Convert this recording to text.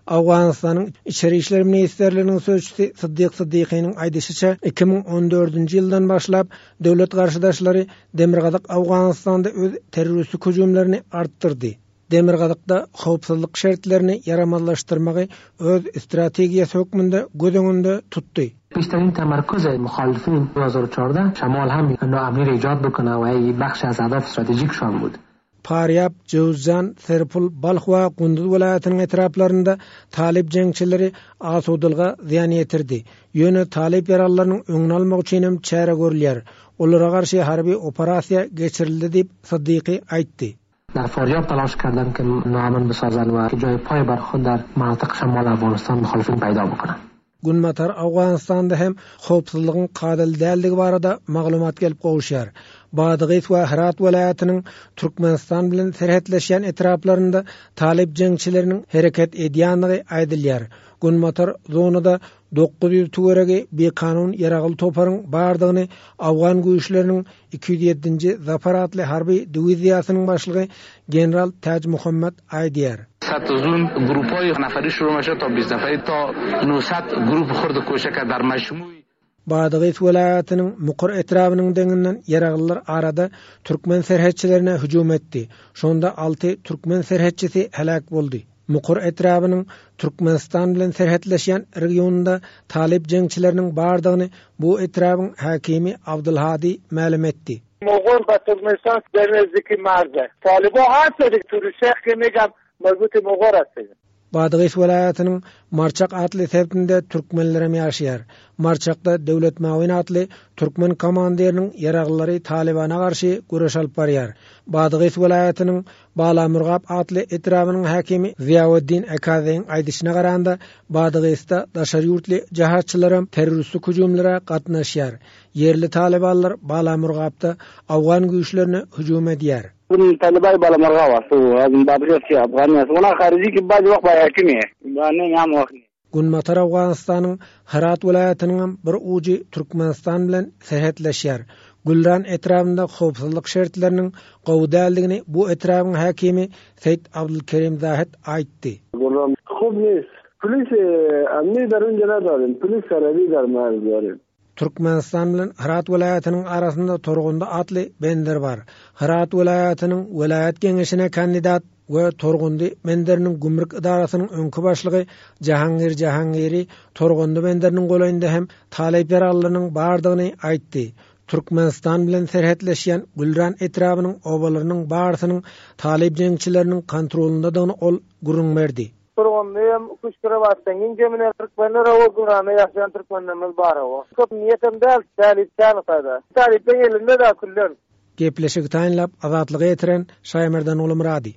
Owganystanyň Içeri işler ministrliginiň sözçüsi Syddyk Syddykynyň aýdyşyça, 2014-nji ýyldan başlap, döwlet garşydaşlary Demirgazyk Owganystanda öz terroristik hüjümlerini artdyrdy. Demirgazykda howpsuzlyk şertlerini ýaramazlaşdyrmagy öz strategiýasy hökmünde göz öňünde tutdy. بیشترین تمرکز مخالفین 2014 شمال هم ناامنی را ایجاد بکنه و ای بخش از اهداف استراتژیکشان بود. Farýab, Jöwüzjan, Serpul, Balh we Gunduz welaýatynyň etraplarynda talyp jeňçileri asudalyga zyýan ýetirdi. Ýöne talyp ýaralylarynyň öňüni almak üçin hem çäre görülýär. Olara garşy harby operasiýa geçirildi diýip, Syddyky aýtdy. در فاریاب تلاش کردند که ناامن بسازند و جای پای بر خود در مناطق شمال افغانستان مخالفین پیدا بکنند. Günbatar Owganystanda hem howpsuzlygyň kadaly däldigi barada maglumat gelip gowuşýar. Badygys we Hyrat welaýatynyň Türkmenistan bilen serhetleşýän etraplarynda talyp jeňçileriniň hereket edýändigi aýdylýar. Günbatar zonada 900 töweregi bikanun ýaragly toparyň bardygyny owgan güýçleriniň 207-nji Zafar atly harby diwiziýasynyň başlygy general Täj Muhammet aýdýar. سطح زون گروپای نفری شروع میشه تا 20 نفری تا 900 گروپ خرد کوچک در مجموع Badagys welaýatynyň Mukur etrabynyň deňinden ýaraglylar arada türkmen serhetçilerine hüjüm etdi. Şonda alty türkmen serhetçisi heläk boldy. Mukur etrabynyň Türkmenistan bilen serhetleşýän regionynda talyp jeňçileriniň bardygyny bu etrabyň häkimi Abdylhady mälim etdi. Mugur ba Türkmenistan der nezdiki marze. Talyba hast turusheh ki megam marbuti Mugur ast. Badagys welaýatynyň Marçak atly sebitinde türkmenlerem ýaşaýar. Marçakda Döwlet Mawin atly türkmen komandiriniň ýaraglylary Talybana garşy göreş alyp barýar. Badagys welaýatynyň Balamurgap atly etrabynyň häkimi Ziýaweddin Ekazeýiň aýdyşyna garanda, Badagysda daşary ýurtly jahatçylaram terroristik hüjümlere gatnaşýar. Ýerli talybanlar Balamurgapda awgan güýçlerine hüjüm edýär. Günbatar Owganystanyň Hyrat welaýatynyňam bir ujy Türkmenistan bilen serhetleşýär. Gülran etrabynda howpsuzlyk şertleriniň gowy däldigini bu etrabyň häkimi Seýit Abdulkerim Zahid aýtdy. Gülran hub nist. Polis amni dar unja nadarim. Polis sarabi dar marz darim. Türkmenistan bilen Hyrat welaýatynyň arasynda Torgundy atly bender bar. Hyrat welaýatynyň welaýat geňeşine kandidat we Torgundy benderiniň gümrük edarasynyň öňki başlygy Jahangir Jahangiri Torgundy benderiniň golaýynda hem talyp ýaraglylarynyň bardygyny aýtdy. Türkmenistan bilen serhetleşýän Gülran etrabynyň obalarynyň barysynyň talyp jeňçileriniň kontrolyndadygyny ol gürrüň berdi. Turgundy hem kuş krovatdan giň jemine türkmenler hawa Gülranda ýaşaýan türkmenlerimiz bar hawa. Köp niýetem däl talyp çagysada. Talyplaň elinde da küllen. Gepleşigi taýynlap Azatlyga ýetiren Şaýmerdan Gulumyrady.